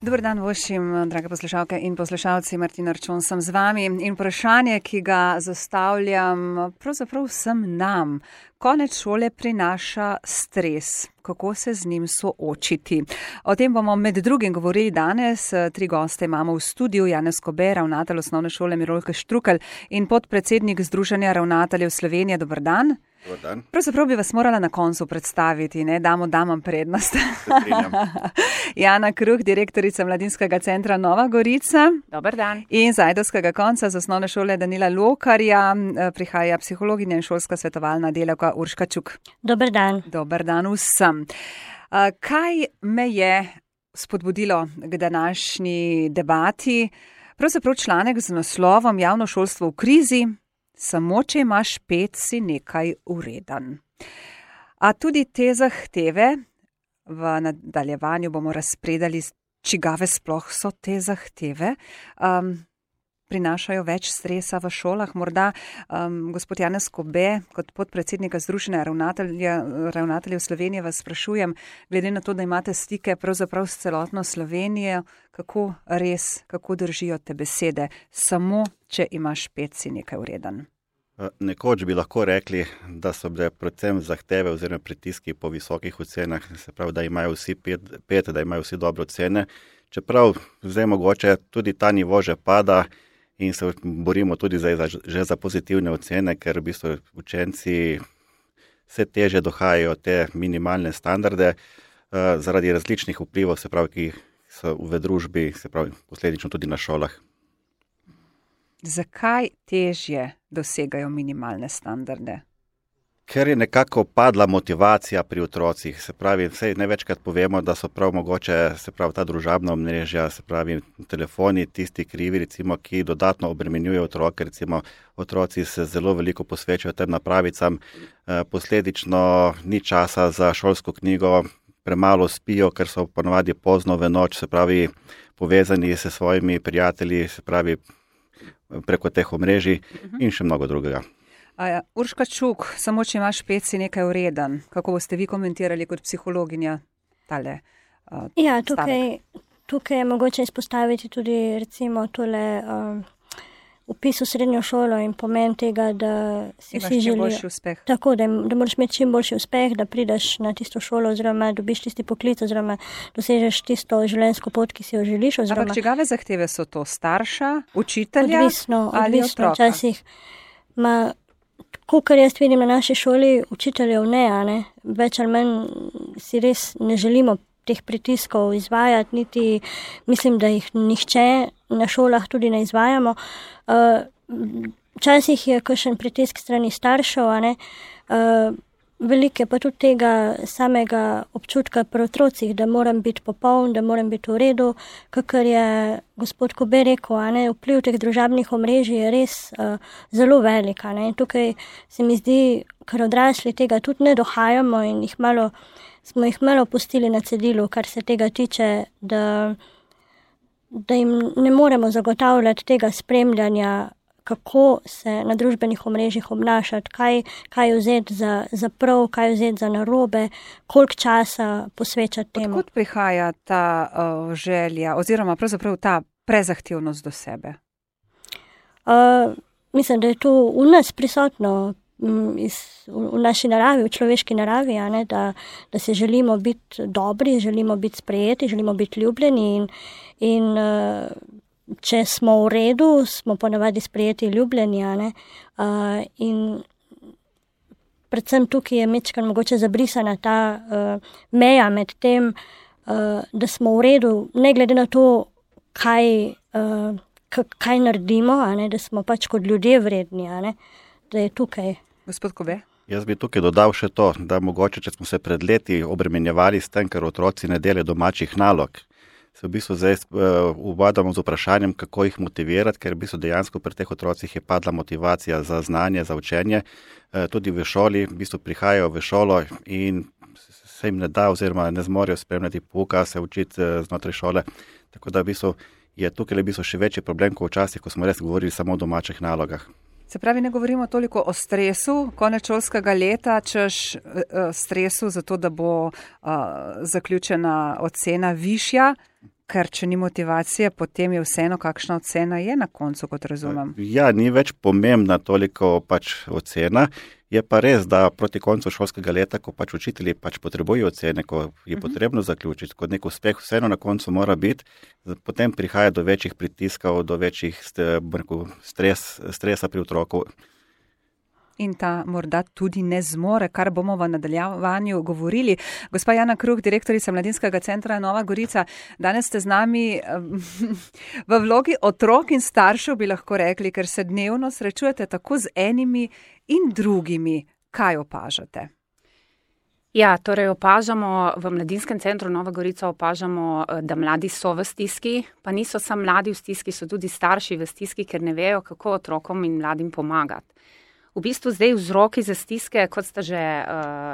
Dober dan vašim, drage poslušalke in poslušalci, Martina Arčon sem z vami in vprašanje, ki ga zastavljam pravzaprav vsem nam. Konec šole prinaša stres. Kako se z njim soočiti? O tem bomo med drugim govorili danes. 3 goste imamo v studiu. Janez Kobe, ravnatelj osnovne šole Mirolke Štrukelj in podpredsednik Združenja ravnateljev Slovenije. Dober dan. Dobar dan. Pravzaprav bi vas morala na koncu predstaviti, ne? Damo damam prednost. Jana Kruh, direktorica Mladinskega centra Nova Gorica. Dobar dan. In z Ajdovskega konca z osnovne šole Danila Lokarja prihaja psihologinja in šolska svetovalna delavka Urška Čuk. Dobar dan. Dobar dan vsem. Kaj me je spodbudilo k današnji debati? Pravzaprav članek z naslovom Javno šolstvo v krizi. Samo, če imaš 5, si nekaj ureden. A tudi te zahteve, v nadaljevanju bomo razpredali, čigave sploh so te zahteve, prinašajo več stresa v šolah. Morda gospod Janez Kobe, kot podpredsednika Združenja ravnateljev Slovenije, vas sprašujem, glede na to, da imate stike pravzaprav s celotno Slovenijo, kako držijo te besede? Samo, če imaš 5, si nekaj ureden. Nekoč bi lahko rekli, da so bile predvsem zahteve oziroma pritiski po visokih ocenah, se pravi, da imajo vsi 5, da imajo vsi dobre ocene. Čeprav zdaj mogoče tudi ta nivo že pada in se borimo tudi že za pozitivne ocene, ker v bistvu učenci vse teže dohajajo te minimalne standarde zaradi različnih vplivov, se pravi, ki so v družbi, se pravi, posledično tudi na šolah. Zakaj težje dosegajo minimalne standarde? Ker je nekako padla motivacija pri otrocih, se pravi, vse največkrat povemo, da so prav mogoče, se pravi, ta družabna omrežja, se pravi, telefoni, tisti krivi, recimo, ki dodatno obremenjujejo otroke, recimo, otroci se zelo veliko posvečajo tem napravicam, posledično ni časa za šolsko knjigo, premalo spijo, ker so ponavadi pozno v noč, se pravi, povezani s svojimi prijatelji, se pravi, preko teh omrežij in še mnogo drugega. Urška Čuk, samo če imaš 5, si nekaj ureden. Kako boste vi komentirali kot psihologinja tale tukaj je mogoče izpostaviti tudi recimo tole vpis v srednjo šolo in pomen tega, da si vsi želijo. Tako, da moraš imeti čim boljši uspeh, da prideš na tisto šolo oziroma dobiš tisti poklic oziroma dosežeš tisto življenjsko pot, ki si jo želiš. Ampak čigave zahteve so to? Starša, učitelja ali odvisno otroka? Včasih. Kar jaz vidim na naši šoli, učiteljev ne. Več ali manj si res ne želimo teh pritiskov izvajati, niti mislim, da jih nihče na šolah tudi ne izvajamo. Včasih je kakšen pritisk strani staršev, veliko je pa tudi tega samega občutka pri otrocih, da moram biti popoln, da moram biti v redu, kakor je gospod Kobe rekel, vpliv teh družabnih omrežij je res zelo velik. In tukaj se mi zdi, ker odrasli tega tudi ne dohajamo in smo jih malo pustili na cedilu, kar se tega tiče, da jim ne moremo zagotavljati tega spremljanja, kako se na družbenih omrežjih obnašati, kaj vzeti za prav, kaj vzeti za narobe, koliko časa posvečati temu. Odkud prihaja ta želja oziroma pravzaprav ta prezahtevnost do sebe? Mislim, da je to v nas prisotno, v naši naravi, v človeški naravi, da se želimo biti dobri, želimo biti sprejeti, želimo biti ljubljeni in če smo v redu, smo ponavadi sprejeti ljubljeni, in predvsem tukaj je mečkan mogoče zabrisana ta meja med tem, da smo v redu, ne glede na to, kaj naredimo, da smo pač kot ljudje vredni, da je tukaj. Gospod Kobe? Jaz bi tukaj dodal še to, da mogoče, če smo se pred leti obremenjevali s tem, ker otroci ne delajo domačih nalog, se v bistvu zdaj ubadamo z vprašanjem, kako jih motivirati, ker v bistvu dejansko pri teh otrocih je padla motivacija za znanje, za učenje. Tudi v šoli, v bistvu prihajajo v šolo in se jim ne da oziroma ne zmorejo spremljati pouka, se učiti znotraj šole. Tako da v bistvu je tukaj še večji problem, kot včasih, ko smo res govorili samo o domačih nalogah. Se pravi, ne govorimo toliko o stresu konec šolskega leta, češ stresu zato, da bo zaključena ocena višja, ker če ni motivacije, potem je vseeno, kakšna ocena je na koncu, kot razumem. Ja, ni več pomembna toliko ocena. Je pa res, da proti koncu šolskega leta, ko učitelji potrebujejo ocene, ko je potrebno zaključiti, kot nek uspeh vseeno na koncu mora biti, potem prihaja do večjih pritiskov, do večjih stresa pri otroku. In ta morda tudi ne zmore, kar bomo v nadaljevanju govorili. Gospa Jana Kruh, direktorica Mladinskega centra Nova Gorica, danes ste z nami v vlogi otrok in staršev, bi lahko rekli, ker se dnevno srečujete tako z enimi in drugimi. Kaj opažate? Ja, torej opažamo v Mladinskem centru Nova Gorica, da mladi so v stiski, pa niso samo mladi v stiski, so tudi starši v stiski, ker ne vejo, kako otrokom in mladim pomagati. V bistvu zdaj vzroki za stiske, kot sta že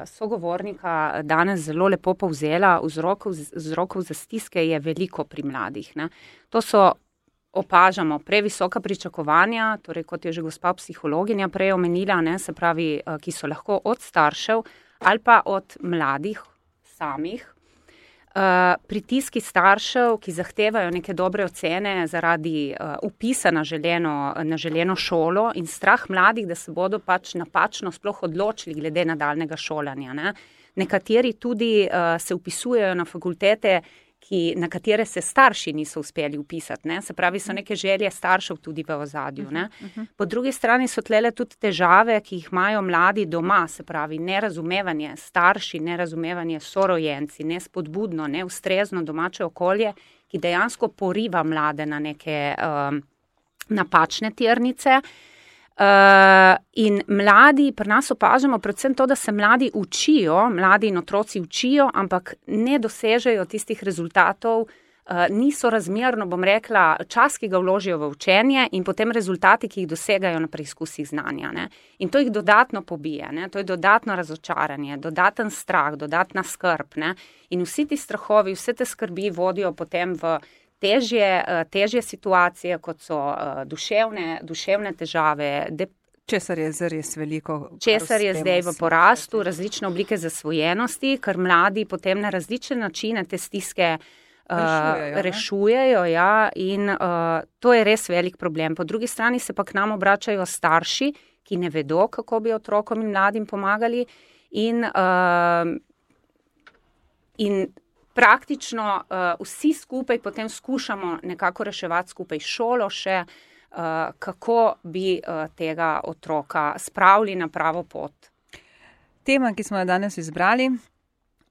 sogovornika danes zelo lepo povzela, vzrokov za stiske je veliko pri mladih. Ne. To opažamo previsoka pričakovanja, torej kot je že gospa psihologinja prej omenila, ne, se pravi, ki so lahko od staršev ali pa od mladih samih. Pritiski staršev, ki zahtevajo neke dobre ocene zaradi vpisa na želeno šolo in strah mladih, da se bodo napačno sploh odločili glede nadaljnega šolanja. Ne. Nekateri tudi se vpisujejo na fakultete, na katere se starši niso uspeli vpisati. Ne. Se pravi, so neke želje staršev tudi v ozadju. Ne. Po drugi strani so tlele tudi težave, ki jih imajo mladi doma, se pravi nerazumevanje starši, nerazumevanje sorojenci, nespodbudno, neustrezno domače okolje, ki dejansko poriva mlade na neke napačne tirnice. In mladi, pri nas opažamo predvsem to, da se mladi in otroci učijo, ampak ne dosežejo tistih rezultatov, niso razmerno, bom rekla, čas, ki ga vložijo v učenje in potem rezultati, ki jih dosegajo na preizkusih znanja. Ne. In to jih dodatno pobije, ne. To je dodatno razočaranje, dodaten strah, dodatna skrb. Ne. In vsi ti strahovi, vse te skrbi vodijo potem v težje situacije, kot so duševne težave, česar je zares veliko. Česar je zdaj v porastu, različne oblike zasvojenosti, ker mladi potem na različne načine te stiske rešujejo, ja, in to je res velik problem. Po drugi strani se pa k nam obračajo starši, ki ne vedo, kako bi otrokom in mladim pomagali in praktično vsi skupaj potem skušamo nekako reševati skupaj šolo še, kako bi tega otroka spravili na pravo pot. Tema, ki smo jo danes izbrali,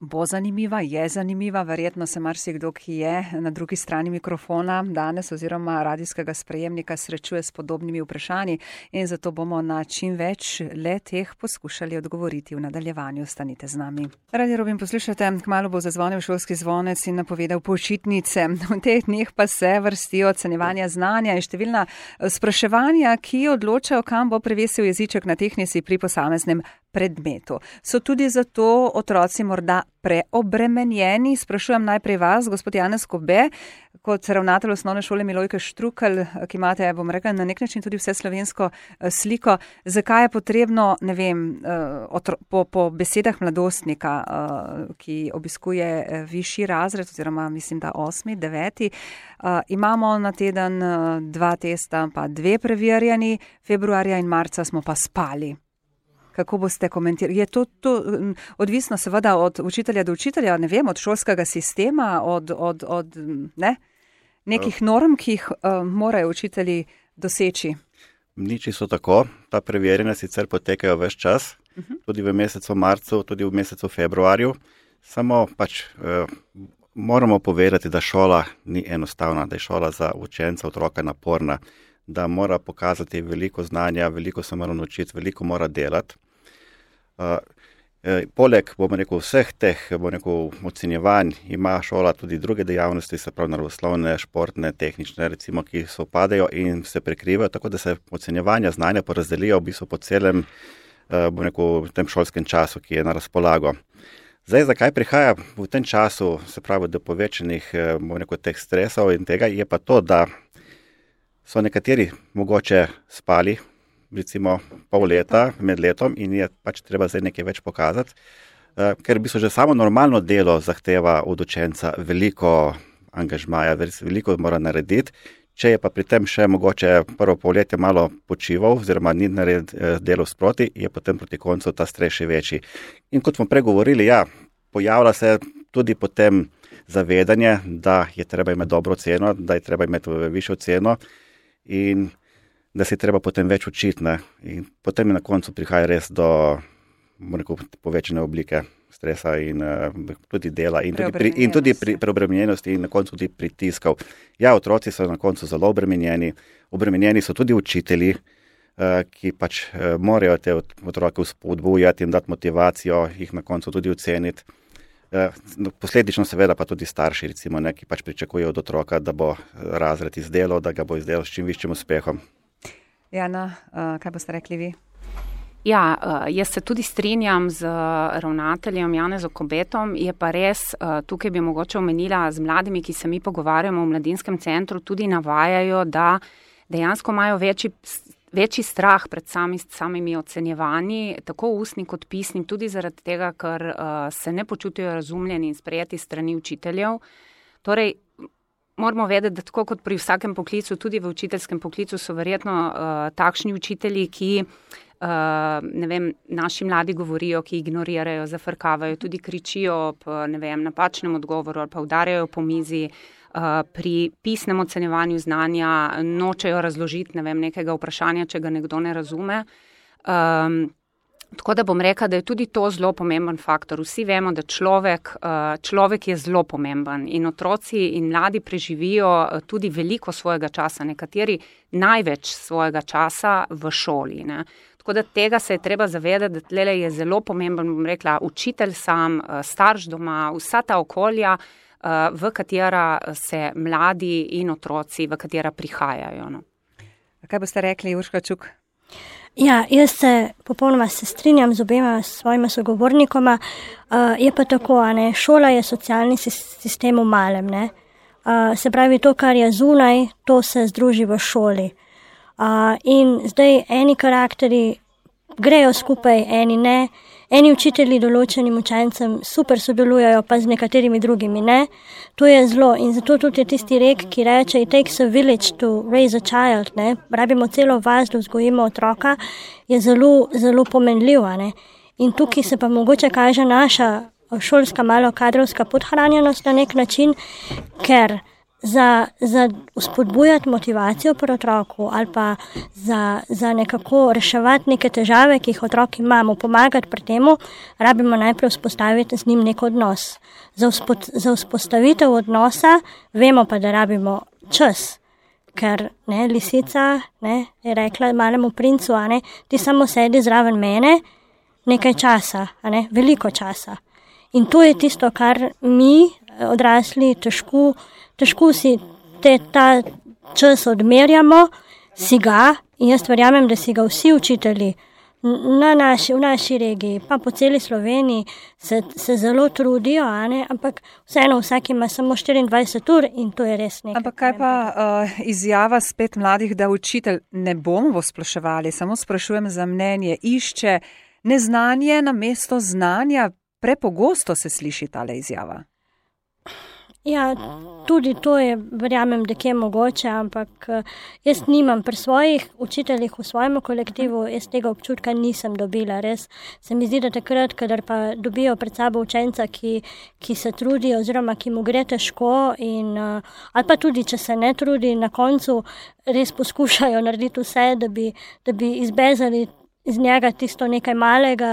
bo zanimiva, je zanimiva, verjetno se marsikdo, ki je na drugi strani mikrofona danes oziroma radijskega sprejemnika srečuje s podobnimi vprašanji in zato bomo na čim več le-teh poskušali odgovoriti v nadaljevanju. Ostanite z nami. Radio Robin poslušate, kmalu bo zazvonil šolski zvonec in napovedal počitnice. V teh dneh pa se vrstijo ocenjevanja znanja in številna spraševanja, ki odločajo, kam bo prevesil jeziček na tehnisi pri posameznem predmetu. So tudi zato otroci morda preobremenjeni? Sprašujem najprej vas, gospod Janez Kobe, kot ravnatelj osnovne šole Milojke Štrukelj, ki imate, bom rekla, na nek način tudi vse slovensko sliko. Zakaj je potrebno, ne vem, po besedah mladostnika, ki obiskuje višji razred, oziroma mislim, da 8., 9., imamo na teden 2 testa, pa 2 preverjani, februarja in marca smo pa spali. Kako boste komentirali? Je to odvisno seveda od učitelja do učitelja, ne vem, od šolskega sistema, od nekih norm, ki jih morajo učitelji doseči? Ni čisto tako. Ta preverjanja sicer potekajo ves čas, tudi v mesecu marcu, tudi v mesecu februarju. Samo moramo povedati, da šola ni enostavna, da je šola za učenca, otroka naporna, da mora pokazati veliko znanja, veliko se mora naučiti, veliko mora delati. Poleg, bomo rekel, vseh teh, bomo rekel, ocenjevanj ima šola tudi druge dejavnosti, se pravi naravoslovne, športne, tehnične, recimo, ki se upadajo in se prekrivajo, tako da se ocenjevanja znanja porazdelijo v bistvu po celem, bomo rekel, tem šolskem času, ki je na razpolago. Zdaj, zakaj prihaja v tem času, se pravi, do povečanih, bomo rekel, teh stresov in tega, je pa to, da so nekateri mogoče spali, recimo pol leta med letom in je pač treba zdaj nekaj več pokazati, ker v bistvu že samo normalno delo zahteva od učenca veliko angažmaja, veliko mora narediti. Če je pa pri tem še mogoče prvo polletje malo počival oziroma ni naredil delo sproti, je potem proti koncu ta stres še večji. In kot smo pregovorili, pojavlja se tudi potem zavedanje, da je treba imeti dobro ceno, da je treba imeti višjo ceno in da se je treba potem več učiti. Ne? In potem na koncu prihaja res do povečane oblike stresa in tudi dela in tudi preobremenjenosti in na koncu tudi pritiskov. Otroci so na koncu zelo obremenjeni. Obremenjeni so tudi učitelji, ki pač morajo te otroke vzpodbujati in dati motivacijo, jih na koncu tudi oceniti. Posledično seveda pa tudi starši, recimo, ki pač pričakujejo od otroka, da bo razred izdelal, da ga bo izdelal s čim višjim uspehom. Jana, kaj boste rekli vi? Jaz se tudi strinjam z ravnateljem Janezom Kobetom, je pa res, tukaj bi mogoče omenila z mladimi, ki se mi pogovarjamo v mladinskem centru, tudi navajajo, da dejansko imajo večji strah pred samimi ocenjevanji, tako ustni kot pisnim, tudi zaradi tega, ker se ne počutijo razumljeni in sprejeti strani učiteljev. Torej, moramo vedeti, da tako kot pri vsakem poklicu, tudi v učiteljskem poklicu so verjetno takšni učitelji, ki naši mladi govorijo, ki ignorirajo, zafrkavajo, tudi kričijo ob napačnem odgovoru ali pa udarjajo po mizi. Pri pisnem ocenjevanju znanja nočejo razložiti nekega vprašanja, če ga nekdo ne razume. Tako da bom rekla, da je tudi to zelo pomemben faktor. Vsi vemo, da človek je zelo pomemben in otroci in mladi preživijo tudi veliko svojega časa, nekateri največ svojega časa v šoli. Ne. Tako da tega se je treba zavedati, da tlele je zelo pomemben, bom rekla, učitelj sam, starš doma, vsa ta okolja, v katera se mladi in otroci, v katera prihajajo. No. Kaj boste rekli, Urška Čuk? Jaz se popolnoma strinjam z obema svojima sogovornikoma. Je pa tako, šola je socialni sistem v malem. Ne? Se pravi, to, kar je zunaj, to se združi v šoli. In zdaj eni karakteri grejo skupaj, eni ne. Eni učitelji določenim učencem super sodelujejo, pa z nekaterimi drugimi ne. To je zlo in zato tudi je tisti rek, ki reče it takes a village to raise a child, ne. Rabimo celo vas, da vzgojimo otroka, je zelo, zelo pomenljiv, ne. In tukaj se pa mogoče kaže naša šolska malo kadrovska podhranjenost na nek način, ker za vzpodbujati motivacijo pri otroku ali pa za nekako reševati neke težave, ki jih otroki imamo, pomagati pri temu, rabimo najprej vzpostaviti z njim nek odnos. Za vzpostavitev odnosa vemo pa, da rabimo čas, ker lisica je rekla malemu princu, ti samo sedi zraven mene nekaj časa, veliko časa. In to je tisto, kar mi odrasli težko si ta čas odmerjamo, si ga, in jaz verjamem, da si ga vsi učitelji v naši regiji, pa po celi Sloveniji se zelo trudijo, ampak vseeno vsak ima samo 24 ur in to je res nekaj. Ampak kaj pa izjava spet mladih, da učitelj ne bomo sploševali, samo sprašujem za mnenje, išče neznanje namesto znanja, prepogosto se sliši tale izjava. Tudi to je, verjamem, da je mogoče, ampak jaz nimam pri svojih učiteljih v svojem kolektivu, jaz tega občutka nisem dobila. Res se mi zdi, da takrat, kadar pa dobijo pred sabo učenca, ki se trudi oziroma ki mu gre težko ali pa tudi, če se ne trudi, na koncu res poskušajo narediti vse, da bi izbezali iz njega tisto nekaj malega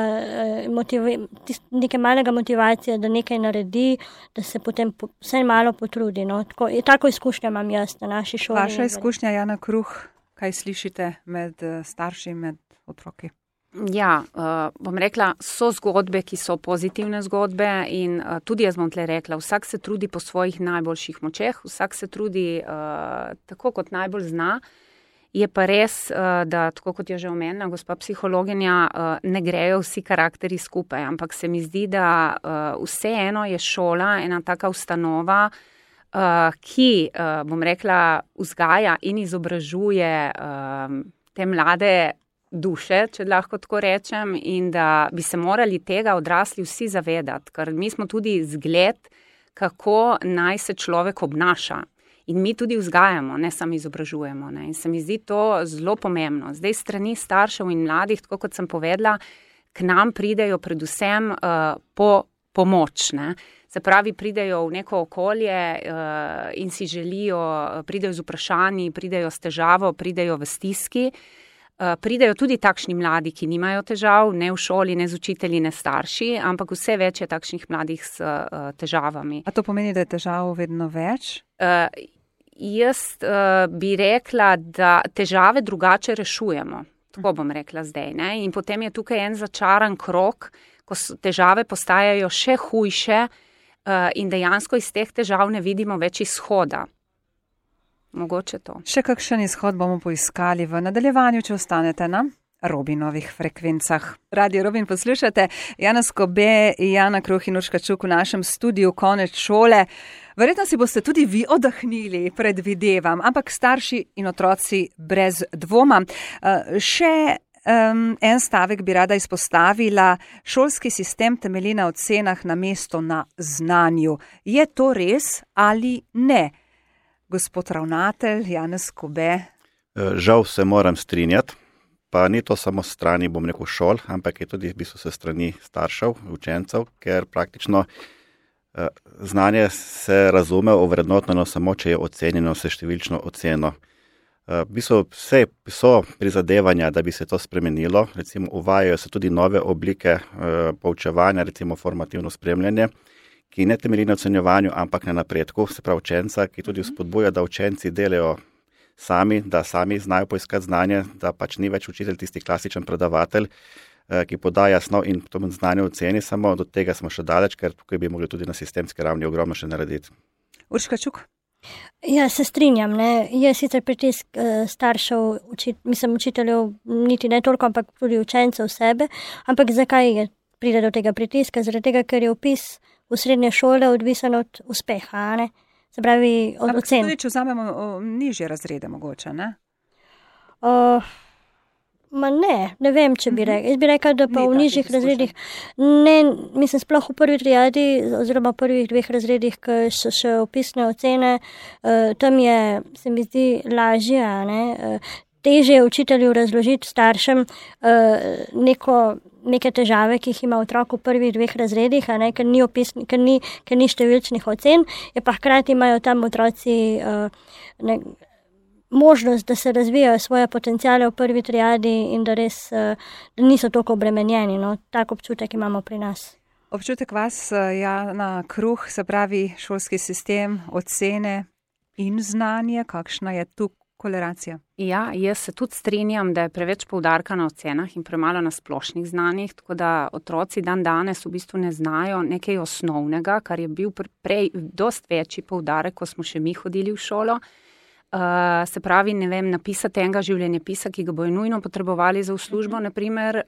motivacije, da nekaj naredi, da se potem vse malo potrudi. No? Tako izkušnja imam jaz na naši šoli. Vaša izkušnja, Jana Kruh, kaj slišite med starši, med otroki? Bom rekla, so zgodbe, ki so pozitivne zgodbe in tudi jaz bom tle rekla, vsak se trudi po svojih najboljših močeh, vsak se trudi tako, kot najbolj zna. Je pa res, da tako kot je že omenila gospa psihologinja, ne grejo vsi karakteri skupaj, ampak se mi zdi, da vseeno je šola ena taka ustanova, ki, bom rekla, vzgaja in izobražuje te mlade duše, če lahko tako rečem, in da bi se morali tega odrasli vsi zavedati, ker mi smo tudi zgled, kako naj se človek obnaša. In mi tudi vzgajamo, ne samo izobražujemo. Ne. In se mi zdi to zelo pomembno. Zdaj strani staršev in mladih, tako kot sem povedala, k nam pridejo predvsem po pomoč. Ne. Se pravi, pridejo v neko okolje in si želijo, pridejo z vprašanji, pridejo s težavo, pridejo v stiski. Pridejo tudi takšni mladi, ki nimajo težav, ne v šoli, ne z učitelji, ne starši, ampak vse več je takšnih mladih s težavami. A to pomeni, da je težav vedno več? Jaz bi rekla, da težave drugače rešujemo. Tako bom rekla zdaj. Ne? In potem je tukaj en začaran krog, ko težave postajajo še hujše in dejansko iz teh težav ne vidimo več izhoda. Mogoče to. Še kakšen izhod bomo poiskali v nadaljevanju, če ostanete na Robinovih frekvencah. Radio Robin poslušate, Jana Skobe, Jana Kruh in Urška Čuk v našem studiu Konec šole. Verjetno si boste tudi vi oddahnili, predvidevam, ampak starši in otroci brez dvoma. Še en stavek bi rada izpostavila. Šolski sistem temelji na ocenah namesto na znanju. Je to res ali ne? Gospod ravnatelj, Janez Skobe. Žal se moram strinjati, pa ni to samo strani, bom rekel, šol, ampak je tudi v bistvu se strani staršev, učencev, ker praktično znanje se razume ovrednoteno samo, če je ocenjeno se številčno oceno. V bistvu vse so prizadevanja, da bi se to spremenilo, recimo uvajajo se tudi nove oblike poučevanja, recimo formativno spremljanje, ki ne temelji na ocenjevanju, ampak na napredku, se pravi učenca, ki tudi vzpodbuja, da učenci delajo sami, da sami znajo poiskati znanje, da pač ni več učitelj tisti klasičen predavatelj, ki podaja snov in to znanje oceni, samo do tega smo še daleč, ker tukaj bi mogli tudi na sistemski ravni ogromno še narediti. Urška Čuk. Ja, se strinjam, ne. Je sicer pritisk staršev, učiteljev, niti ne toliko, ampak tudi učencev sebe, ampak zakaj pride do tega pritiska? Zaradi tega, ker je vpis v srednje šole odvisen od uspeha, ne? Se pravi, od ocen. Tudi, če vzamemo nižje razrede mogoče, ne? Ne vem, če bi rekla. Jaz bi rekla, da pa v nižjih razredih, ne, mislim, sploh v prvi triadi, oziroma v prvih 2 razredih, ki so še vpisne ocene, tam je, se mi zdi, lažje, ne? Težje je učitelju razložiti staršem neke težave, ki jih ima otrok v prvih 2 razredih, a ne, ker ni številčnih ocen, je pa hkrati imajo tam otroci možnost, da se razvijajo svoje potenciale v prvi triadi in da res da niso toliko obremenjeni. No, tak občutek imamo pri nas. Občutek vas, Jana Kruh, se pravi šolski sistem, ocene in znanje, kakšna je tu korelacija? Ja, jaz se tudi strinjam, da je preveč poudarka na ocenah in premalo na splošnih znanjih, tako da otroci danes v bistvu ne znajo nekaj osnovnega, kar je bil prej dosti večji poudarek, ko smo še mi hodili v šolo. Se pravi, ne vem, napisati enega življenjepisa, ki ga bojo nujno potrebovali za v službo, naprimer,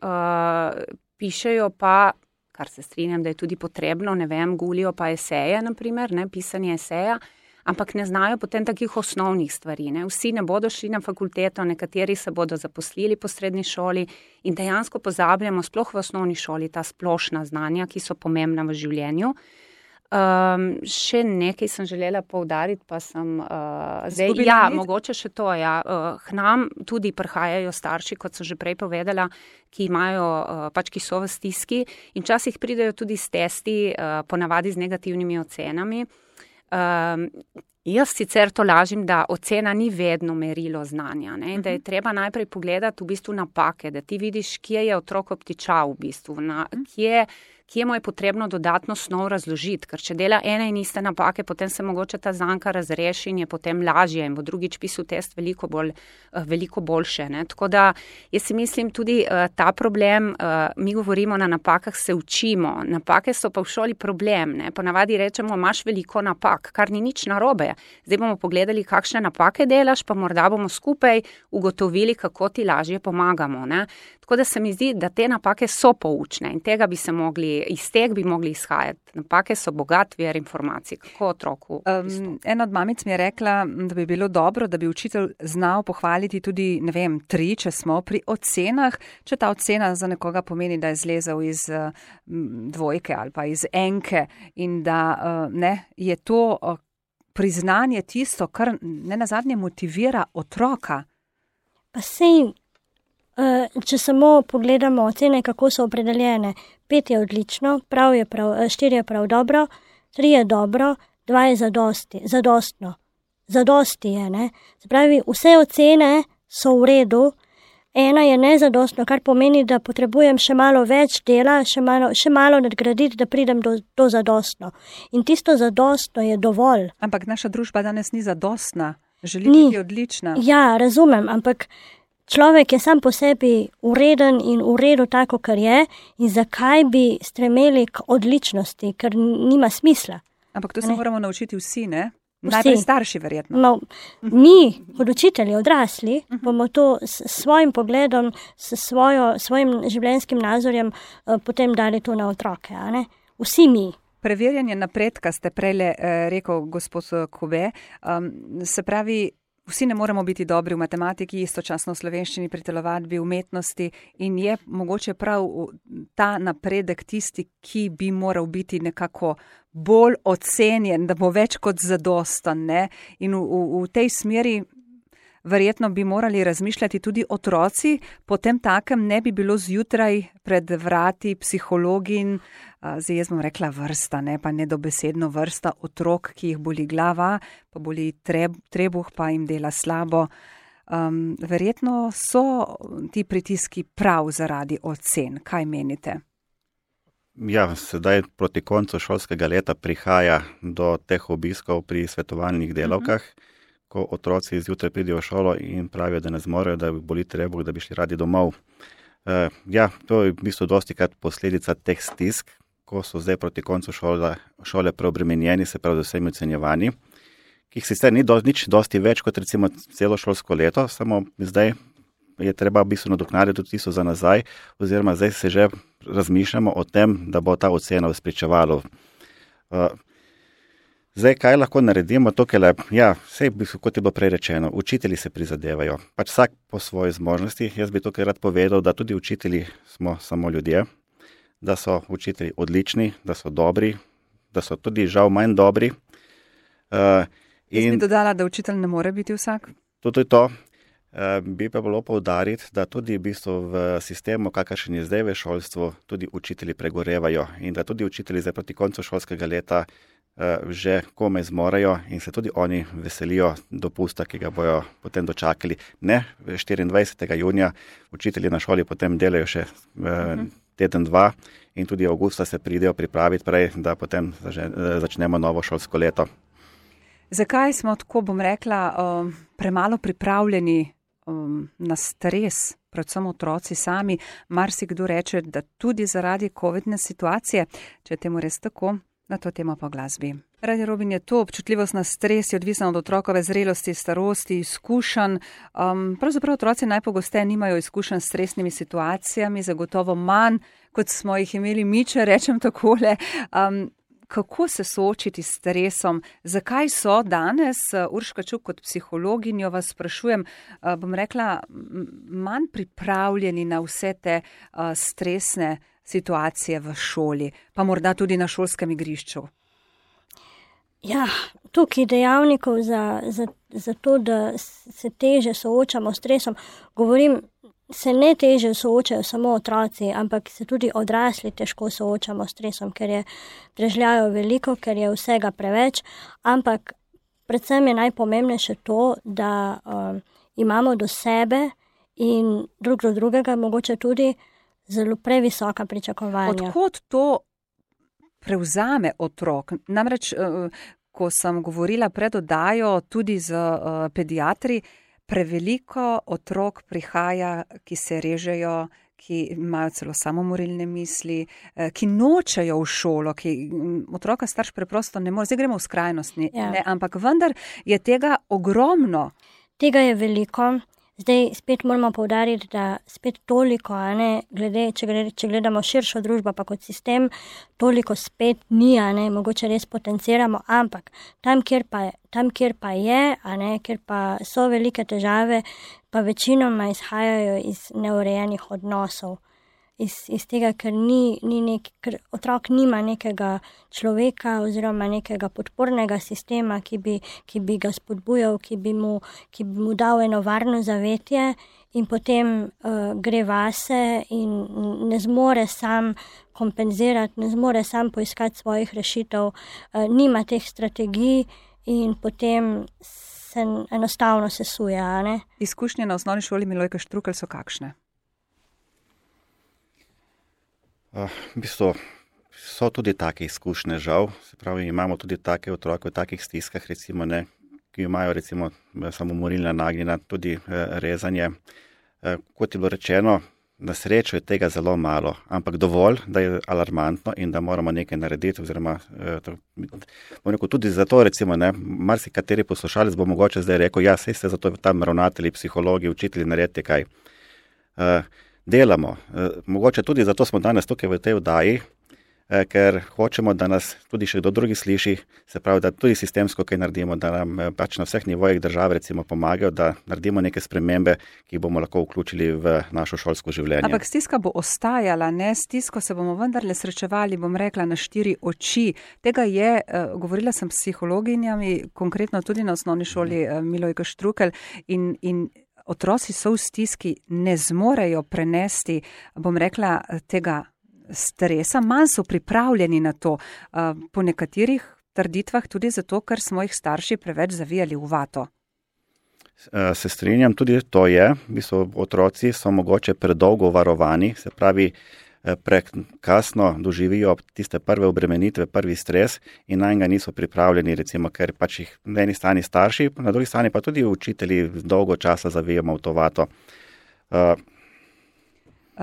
pišejo pa, kar se strinjam, da je tudi potrebno, ne vem, gulijo pa eseje, naprimer, ne, pisanje eseja, ampak ne znajo potem takih osnovnih stvari. Ne. Vsi ne bodo šli na fakulteto, nekateri se bodo zaposlili po srednji šoli in dejansko pozabljamo sploh v osnovni šoli ta splošna znanja, ki so pomembna v življenju. Še nekaj sem želela poudariti, pa sem zdaj, mogoče še to, k nam tudi prihajajo starši, kot sem že prej povedala, ki imajo, ki so v stiski in včasih pridejo tudi s testi, ponavadi z negativnimi ocenami. Jaz sicer to lažim, da ocena ni vedno merilo znanja, ne? Da je treba najprej pogledati v bistvu napake, da ti vidiš, kje je otrok obtičal v bistvu, kje mu je potrebno dodatno snov razložiti, ker če dela ene in iste napake, potem se mogoče ta zanka razreši in je potem lažje in bo drugič pisal test veliko boljše. Ne? Tako da jaz si mislim tudi ta problem, mi govorimo na napakah se učimo, napake so pa v šoli problem, ne? Ponavadi rečemo, imaš veliko napak, kar ni nič narobe. Zdaj bomo pogledali, kakšne napake delaš, pa morda bomo skupaj ugotovili, kako ti lažje pomagamo. Ne? Tako da se mi zdi, da te napake so poučne in tega bi se mogli iz tega bi mogli izhajati. Napake so bogat vir informacij, kako otroku. Ena od mamic mi je rekla, da bi bilo dobro, da bi učitelj znal pohvaliti tudi, 3, če smo pri ocenah, če ta ocena za nekoga pomeni, da je zlezel iz dvojke ali pa iz enke in da je to priznanje tisto, kar nenazadnje motivira otroka. Pa sej, če samo pogledamo ocene, kako so opredeljene, 5 je odlično, 4 je prav dobro, 3 je dobro, 2 je zadostno. Zadosti je, ne? Se pravi, vse ocene so v redu, 1 je nezadostno, kar pomeni, da potrebujem še malo več dela, še malo nadgraditi, da pridem do zadostno. In tisto zadostno je dovolj. Ampak naša družba danes ni zadostna, želi biti odlična. Ja, razumem, ampak človek je sam po sebi ureden in v redu tako, kar je, in zakaj bi stremeli k odličnosti, ker nima smisla. Ampak to se moramo naučiti vsi, ne? Najprej starši verjetno. No, mi, kot učitelji, odrasli, bomo to s svojim pogledom, s svojim življenjskim nazorjem potem dali to na otroke, a ne? Vsi mi. Preverjanje napredka ste prejle rekel gospod Kobe, se pravi, vsi ne moremo biti dobri v matematiki, istočasno v slovenščini, pri telovadbi, umetnosti in je mogoče prav ta napredek tisti, ki bi moral biti nekako bolj ocenjen, da bo več kot zadostan, ne? In v tej smeri verjetno bi morali razmišljati tudi otroci, potem takem ne bi bilo zjutraj pred vrati psihologin, zdaj jaz bom rekla vrsta, ne, pa nedobesedno vrsta otrok, ki jih boli glava, pa boli trebuh, pa jim dela slabo. Verjetno so ti pritiski prav zaradi ocen. Kaj menite? Ja, sedaj proti koncu šolskega leta prihaja do teh obiskov pri svetovalnih delavkah, ko otroci zjutraj pridejo v šolo in pravijo, da ne zmorejo, da boli trebuh, da bi šli radi domov. Ja, to je v bistvu dostikrat posledica teh stisk, ko so zdaj proti koncu šole preobremenjeni, se pravi z vsemi ocenjevanji, ki jih sicer ni nič dosti več kot recimo celo šolsko leto, samo zdaj je treba v bistvu nadoknaditi tudi tisto za nazaj, oziroma zdaj se že razmišljamo o tem, da bo ta ocena spričevalo. Zdaj, kaj lahko naredimo tukaj? Ja, vse kot je bilo prej rečeno, učitelji se prizadevajo, pač vsak po svoji zmožnosti. Jaz bi tukaj rad povedal, da tudi učitelji smo samo ljudje, da so učitelji odlični, da so dobri, da so tudi žal manj dobri. Jaz bi dodala, da učitelj ne more biti vsak. Tudi to. Bi pa bilo poudariti, da tudi v bistvu v sistemu, kakršen je zdaj v šolstvu, tudi učitelji pregorevajo in da tudi učitelji zdaj proti koncu šolskega leta že komaj zmorejo in se tudi oni veselijo dopusta, ki ga bojo potem dočakali. Ne, 24. junija učitelji na šoli potem delajo še teden, 2 in tudi avgusta se pridejo pripraviti prej, da potem začnemo novo šolsko leto. Zakaj smo tako, bom rekla, premalo pripravljeni na stres, predvsem otroci sami? Marsikdo reče, da tudi zaradi covidne situacije, če je temu res tako, na to temo po glasbi. Radio Robin je to, občutljivost na stres je odvisna od otrokove zrelosti, starosti, izkušenj. Pravzaprav otroci najpogosteje nimajo izkušenj s stresnimi situacijami, zagotovo manj, kot smo jih imeli mi, če rečem takole. Kako se soočiti s stresom? Zakaj so danes, Urška Čuk, kot psihologinjo vas sprašujem, bom rekla, manj pripravljeni na vse te stresne situacije v šoli, pa morda tudi na šolskem igrišču? Ja, tukaj dejavnikov za to, da se teže soočamo s stresom, govorim, se ne teže soočajo samo otroci, ampak se tudi odrasli težko soočamo s stresom, ker je prežljajo veliko, ker je vsega preveč, ampak predvsem je najpomembnejše to, da imamo do sebe in drug do drugega mogoče tudi zelo previsoka pričakovanja. Odkot to prevzame otrok? Namreč, ko sem govorila pred oddajo tudi z pediatri, preveliko otrok prihaja, ki se režejo, ki imajo celo samomorilne misli, ki nočejo v šolo, ki otroka starš preprosto ne more. Zdaj gremo v skrajnost, ne, ampak vendar je tega ogromno. Tega je veliko. Zdaj spet moramo poudariti, da spet toliko, glede, če gledamo širšo družbo pa kot sistem, toliko spet ni, mogoče res potenciramo, ampak tam, kjer pa je, kjer pa so velike težave, pa večinoma izhajajo iz neurejenih odnosov. Iz tega, ker ker otrok nima nekega človeka oziroma nekega podpornega sistema, ki bi ga spodbujal, ki bi mu dal eno varno zavetje in potem gre vase in ne zmore sam kompenzirati, ne zmore sam poiskati svojih rešitev, nima teh strategij in potem se enostavno sesuje, Izkušnje na osnovni šoli Milojka Štrukelj so kakšne? V bistvu so tudi take izkušnje, žal. Se pravi, imamo tudi take otroke v takih stiskah, recimo, ki imajo recimo samomorilna nagnjenja, tudi rezanje. Kot je bilo rečeno, na srečo je tega zelo malo, ampak dovolj, da je alarmantno in da moramo nekaj narediti, oziroma tudi zato, recimo, marsikateri poslušalec bo mogoče zdaj rekel, ja, saj ste zato tam ravnatelji, psihologi, učitelji, naredite kaj. Delamo. Mogoče tudi zato smo danes tukaj v tej oddaji, ker hočemo, da nas tudi še kdo drugi sliši, se pravi, da tudi sistemsko kaj naredimo, da nam pač na vseh nivojih države recimo pomagajo, da naredimo neke spremembe, ki bomo lahko vključili v našo šolsko življenje. Ampak stiska bo ostajala, stisko se bomo vendarle srečevali, bom rekla, na 4 oči. Tega je, govorila sem s psihologinjami, konkretno tudi na osnovni šoli Milojka Štrukelj in otroci so v stiski, ne zmorejo prenesti, bom rekla, tega stresa, manj so pripravljeni na to. Po nekaterih trditvah tudi zato, ker smo jih starši preveč zavijali v vato. Se strinjam, tudi to je. Otroci so mogoče predolgo varovani, se pravi, prekasno doživijo tiste prve obremenitve, prvi stres in na njega niso pripravljeni, recimo, ker pač jih na eni strani starši, na drugi strani pa tudi učitelji dolgo časa zavijamo v to vato.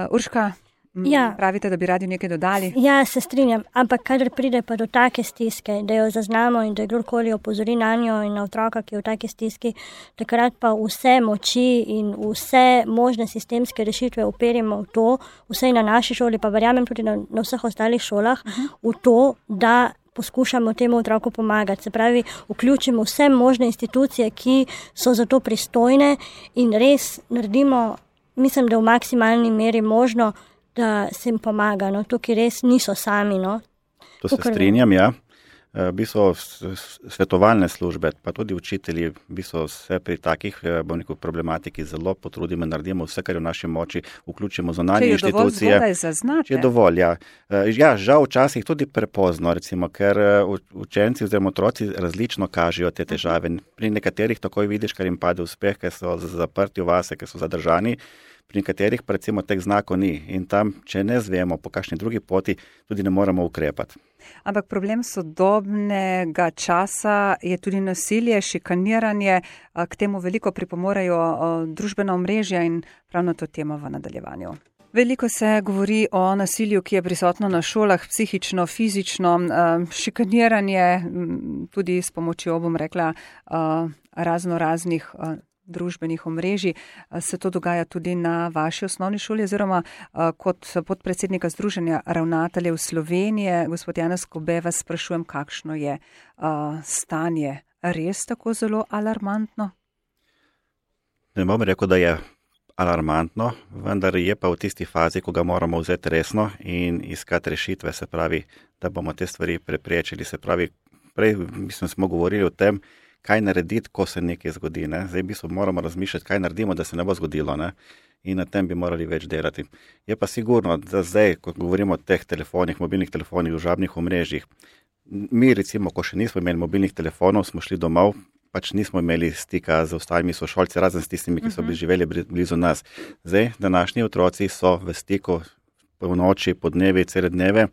Urška, pravite, da bi radi nekaj dodali? Ja, se strinjam, ampak kadar pride pa do take stiske, da jo zaznamo in da kdorkoli opozori na njo in na otroka, ki je v take stiski, takrat pa vse moči in vse možne sistemske rešitve uperimo v to, vsej na naši šoli, pa verjamem tudi na vseh ostalih šolah, v to, da poskušamo temu otroku pomagati. Se pravi, vključimo vse možne institucije, ki so za to pristojne in res naredimo, mislim, da v maksimalni meri možno, da se jim pomaga. Tukaj res niso sami. To se strinjam, ja. Svetovalne službe, pa tudi učitelji, se pri takih problematiki zelo potrudimo, naredimo vse, kar je v naši moči, vključimo zunanje inštitucije. Če je dovolj zgodaj zaznate. Če je dovolj, ja. Ja, žal včasih tudi prepozno, recimo, ker učenci oziroma otroci različno kažejo te težave. Pri nekaterih takoj vidiš, kar jim pade uspeh, ker so zaprti v vase, ker so zadržani. Pri nekaterih pa recimo teh znakov ni in tam, če ne zvemo po kakšni drugi poti, tudi ne moremo ukrepati. Ampak problem sodobnega časa je tudi nasilje, šikaniranje, k temu veliko pripomorejo družbena omrežja in prav na to temo v nadaljevanju. Veliko se govori o nasilju, ki je prisotno na šolah, psihično, fizično, šikaniranje, tudi s pomočjo, bom rekla, raznih družbenih omrežij. Se to dogaja tudi na vaši osnovni šoli, oziroma kot podpredsednika Združenja ravnateljev Slovenije, gospod Janez Kobe, vas sprašujem, kakšno je stanje, res tako zelo alarmantno? Ne bom rekel, da je alarmantno, vendar je pa v tisti fazi, ko ga moramo vzeti resno in iskati rešitve, se pravi, da bomo te stvari preprečili. Se pravi, prej smo govorili o tem, kaj narediti, ko se nekaj zgodi. Zdaj moramo razmišljati, kaj naredimo, da se ne bo zgodilo. In na tem bi morali več delati. Je pa sigurno, da zdaj, ko govorimo o teh telefonih, mobilnih telefonih, družabnih omrežjih, mi recimo, ko še nismo imeli mobilnih telefonov, smo šli domov, pač nismo imeli stika z ostalimi sošolci, razen s tistimi, ki so živeli blizu nas. Zdaj, današnji otroci so v stiku po noči, po dnevi, cele dneve.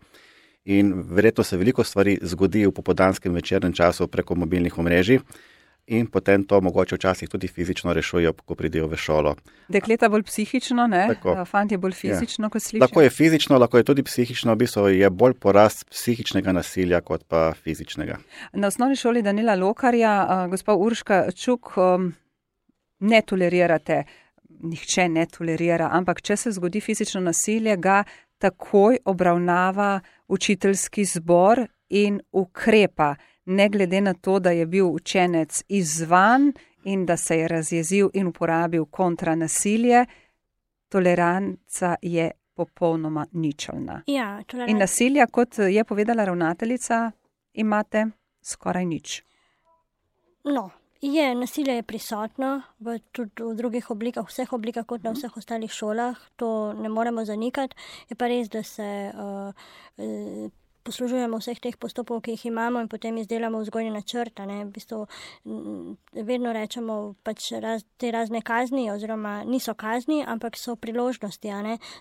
In verjetno se veliko stvari zgodi v popoldanskem večernem času preko mobilnih omrežij in potem to mogoče včasih tudi fizično rešujejo, ko pridejo v šolo. Dekleta bolj psihično, fantje bolj fizično, kot slišim. Lahko je fizično, lahko je tudi psihično, je bolj porast psihičnega nasilja kot pa fizičnega. Na osnovni šoli Danila Lokarja, gospa Urška Čuk, ne tolerirate nihče ne tolerira, ampak če se zgodi fizično nasilje, ga takoj obravnava učiteljski zbor in ukrepa, ne glede na to, da je bil učenec izzvan in da se je razjezil in uporabil kontranasilje, toleranca je popolnoma ničelna. Ja, in nasilja, kot je povedala ravnateljica, imate skoraj nič. No, nasilje je prisotno tudi v drugih oblikah, vseh oblikah kot na vseh ostalih šolah, to ne moremo zanikati. Je pa res, da se poslužujemo vseh teh postopkov, ki jih imamo in potem izdelamo vzgojni načrt. V bistvu vedno rečemo pač te razne kazni, oziroma niso kazni, ampak so priložnosti,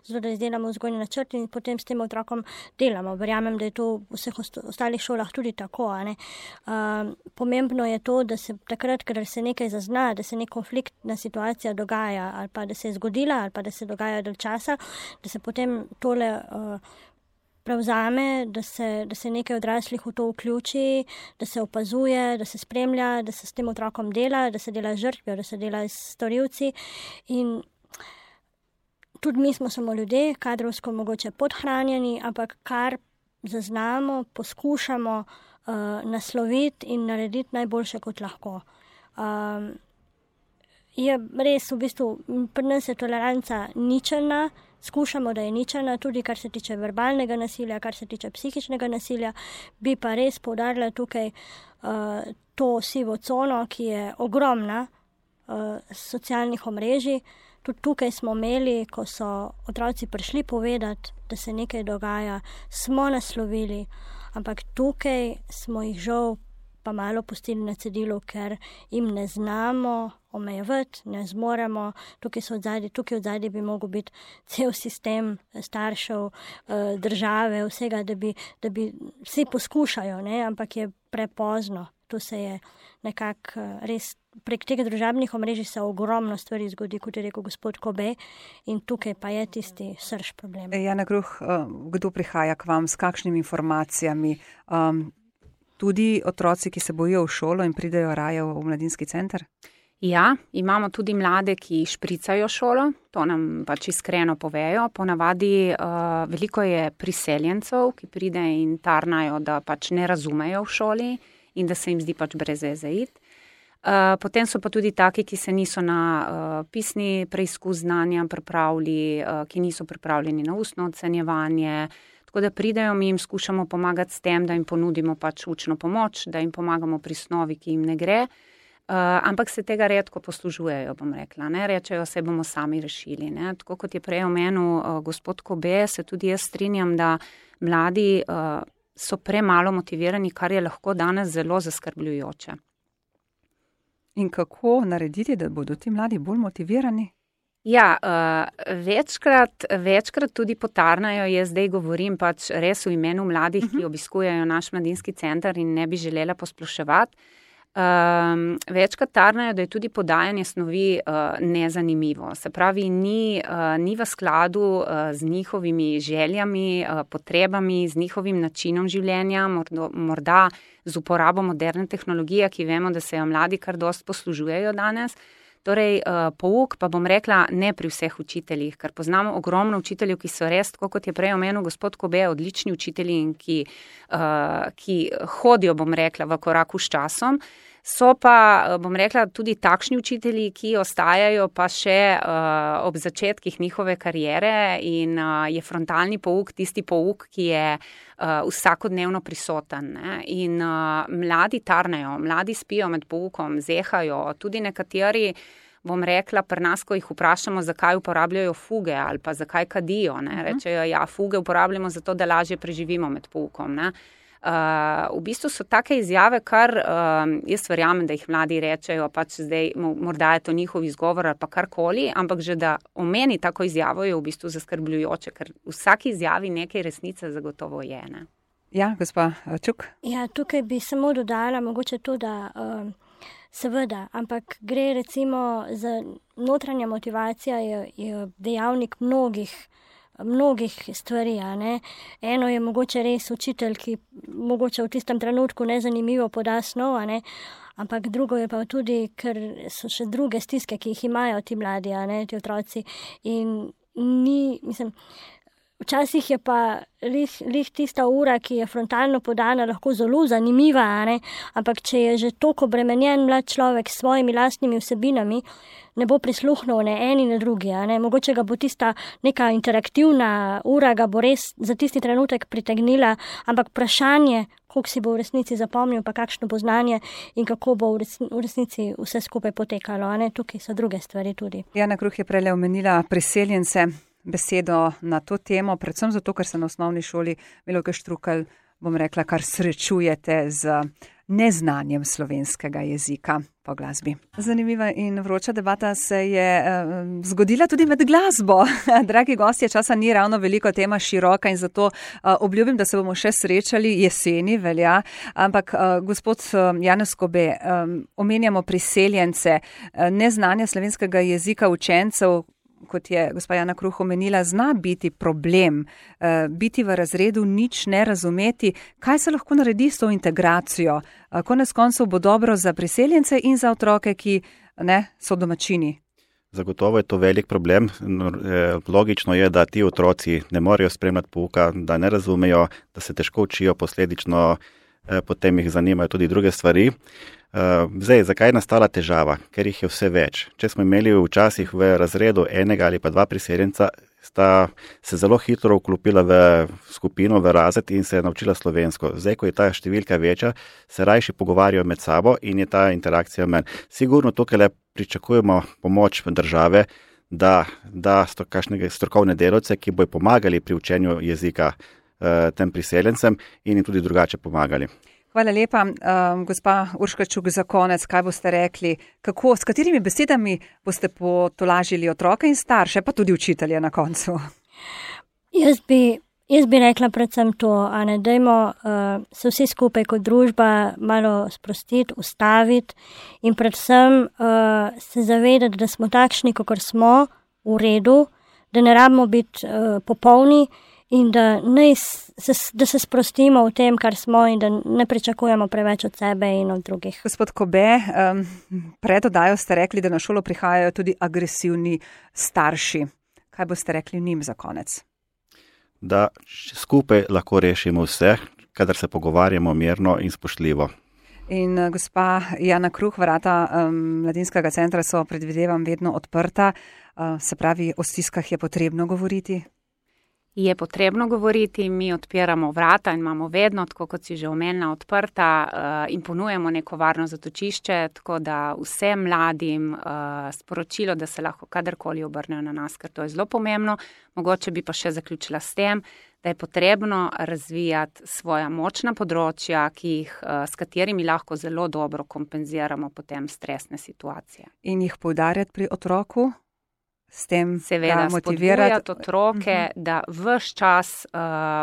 zato da izdelamo vzgojni načrt in potem s tem otrokom delamo. Verjamem, da je to v vseh ostalih šolah tudi tako. Pomembno je to, da se takrat, ker se nekaj zazna, da se nek konfliktna situacija dogaja ali pa da se je zgodila ali pa da se dogaja dalj časa, da se potem tole prevzame, da se nekaj odraslih v to vključi, da se opazuje, da se spremlja, da se s tem otrokom dela, da se dela z žrtvijo, da se dela s storilci. In tudi mi smo samo ljudje, kadrovsko mogoče podhranjeni, ampak kar zaznamo, poskušamo nasloviti in narediti najboljše, kot lahko. Je res, v bistvu, pri nas je toleranca ničelna, skušamo, da je ničelna, tudi kar se tiče verbalnega nasilja, kar se tiče psihičnega nasilja, bi pa res poudarila tukaj to sivo cono, ki je ogromna socialnih omrežij. Tudi tukaj smo imeli, ko so otroci prišli povedati, da se nekaj dogaja, smo naslovili, ampak tukaj smo jih žal pa malo pustili na cedilu, ker jim ne znamo omejevati, ne zmoremo. Tukaj od zadaj bi mogel biti cel sistem staršev, države, vsega, da bi vsi poskušajo, ampak je prepozno. To se je nekako res prek tega družabnih omrežij se ogromno stvari zgodi, kot je rekel gospod Kobe, in tukaj pa je tisti srž problem. Jana Gruh, kdo prihaja k vam, s kakšnimi informacijami? Tudi otroci, ki se bojijo v šolo in pridejo raje v mladinski center? Ja, imamo tudi mlade, ki špricajo šolo, to nam pač iskreno povejo. Ponavadi veliko je priseljencev, ki pride in tarnajo, da pač ne razumejo v šoli in da se jim zdi pač brez veze iti. Potem so pa tudi taki, ki se niso na pisni preizkus znanja pripravili, ki niso pripravljeni na ustno ocenjevanje. Tako da pridejo, mi jim skušamo pomagati s tem, da jim ponudimo pač učno pomoč, da jim pomagamo pri snovi, ki jim ne gre. Ampak se tega redko poslužujejo, bom rekla. Rečejo, se bomo sami rešili. Tako kot je prej omenil gospod Kobe, se tudi jaz strinjam, da mladi so premalo motivirani, kar je lahko danes zelo zaskrbljujoče. In kako narediti, da bodo ti mladi bolj motivirani? Ja, večkrat tudi potarnajo, jaz zdaj govorim pač res v imenu mladih, ki obiskujejo naš mladinski center in ne bi želela posploševati. Večkrat tarnajo, da je tudi podajanje snovi nezanimivo. Se pravi, ni v skladu z njihovimi željami, potrebami, z njihovim načinom življenja, morda z uporabo moderne tehnologije, ki vemo, da se jo mladi kar dost poslužujejo danes. Torej, pouk pa bom rekla ne pri vseh učiteljih, ker poznamo ogromno učiteljev, ki so res, tako kot je prej omenil gospod Kobe, odlični učitelji in ki hodijo, bom rekla, v koraku s časom. So pa, bom rekla, tudi takšni učitelji, ki ostajajo pa še ob začetkih njihove kariere in je frontalni pouk tisti pouk, ki je vsakodnevno prisoten. In mladi tarnejo, mladi spijo med poukom, zehajo, tudi nekateri, bom rekla, pri nas, ko jih vprašamo, zakaj uporabljajo fuge ali pa zakaj kadijo. Rečejo, ja, fuge uporabljamo zato, da lažje preživimo med poukom. V bistvu so take izjave, kar jaz verjamem, da jih mladi rečejo, pač zdaj morda je to njihov izgovor ali pa karkoli, ampak že da omeni tako izjavo je v bistvu zaskrbljujoče, ker v vsaki izjavi nekaj resnice zagotovo je. Ja, gospa Čuk? Ja, tukaj bi samo dodala mogoče to, da seveda, ampak gre recimo za notranja motivacija je dejavnik mnogih mnogih stvari, ne. Eno je mogoče res učitelj, ki mogoče v tistem trenutku nezanimivo poda snov, ne, ampak drugo je pa tudi, ker so še druge stiske, ki jih imajo ti mladi, ne, ti otroci. In včasih je pa lih tista ura, ki je frontalno podana, lahko zelo zanimiva, ne? Ampak če je že toliko obremenjen mlad človek s svojimi lastnimi vsebinami, ne bo prisluhnil ne eni ne drugi. Ne? Mogoče ga bo tista neka interaktivna ura, ga bo res za tisti trenutek pritegnila, ampak vprašanje, koliko si bo v resnici zapomnil, pa kakšno bo znanje in kako bo v resnici vse skupaj potekalo. Ne? Tukaj so druge stvari tudi. Jana Kruh je prejle omenila priseljence. Besedo na to temo, predvsem zato, ker se na osnovni šoli Milojke Štrukelj, bom rekla, kar srečujete z neznanjem slovenskega jezika po glasbi. Zanimiva in vroča debata se je zgodila tudi med glasbo. Dragi gostje, časa ni ravno veliko, tema široka in zato obljubim, da se bomo še srečali jeseni, velja. Ampak gospod Janez Kobe, omenjamo priseljence, neznanje slovenskega jezika učencev, kot je gospa Jana Kruh omenila, zna biti problem, biti v razredu, nič ne razumeti. Kaj se lahko naredi s to integracijo? Konec koncev bo dobro za priseljence in za otroke, ki so domačini. Zagotovo je to velik problem. Logično je, da ti otroci ne morejo spremljati pouka, da ne razumejo, da se težko učijo, posledično potem jih zanimajo tudi druge stvari. Zdaj, zakaj je nastala težava? Ker jih je vse več. Če smo imeli včasih v razredu enega ali pa dva priseljenca, sta se zelo hitro vklopila v skupino, v razred in se je naučila slovensko. Zdaj, ko je ta številka večja, se rajši pogovarjajo med sabo in je ta interakcija manj. Sigurno tukaj le pričakujemo pomoč države, da kakšne strokovne delavce, ki bojo pomagali pri učenju jezika tem priseljencem in jim tudi drugače pomagali. Hvala lepa. Gospa Urška Čuk, za konec, kaj boste rekli? S katerimi besedami boste potolažili otroke in starše, pa tudi učitelje na koncu? Jaz bi rekla predvsem to, dajmo se vsi skupaj kot družba malo sprostiti, ustaviti in predvsem se zavedati, da smo takšni, kakor smo, v redu, da ne rabimo biti popolni, in da se sprostimo v tem, kar smo in da ne pričakujemo preveč od sebe in od drugih. Gospod Kobe, pred oddajo ste rekli, da na šolo prihajajo tudi agresivni starši. Kaj boste rekli njim za konec? Da skupaj lahko rešimo vse, kadar se pogovarjamo mirno in spoštljivo. In gospa Jana Kruh, vrata mladinskega centra so, predvidevam, vedno odprta. Se pravi, o stiskah je potrebno govoriti? Je potrebno govoriti, mi odpiramo vrata in imamo vedno, tako kot si že omenila, odprta in ponujemo neko varno zatočišče, tako da vsem mladim sporočilo, da se lahko kadarkoli obrnejo na nas, ker to je zelo pomembno. Mogoče bi pa še zaključila s tem, da je potrebno razvijati svoja močna področja, s katerimi lahko zelo dobro kompenziramo potem stresne situacije. In jih poudarjati pri otroku? S tem seveda spodbujati otroke, da ves čas,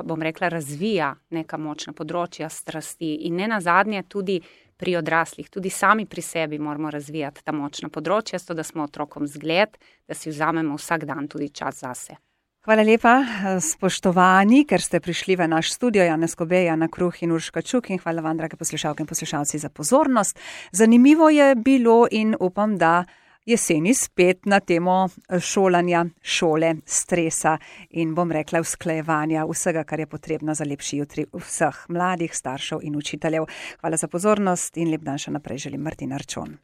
bom rekla, razvija neka močna področja strasti in ne nazadnje tudi pri odraslih, tudi sami pri sebi moramo razvijati ta močna področja, zato da smo otrokom zgled, da si vzamemo vsak dan tudi čas zase. Hvala lepa, spoštovani, ker ste prišli v naš studio, Janez Kobe, Jana Kruh in Urška Čuk, in hvala vam, drage poslušalke in poslušalci, za pozornost. Zanimivo je bilo in upam, da jeseni spet na temo šolanja, šole, stresa in bom rekla usklajevanja vsega, kar je potrebno za lepši jutri vseh mladih, staršev in učiteljev. Hvala za pozornost in lep dan še naprej želim, Martina Arčon.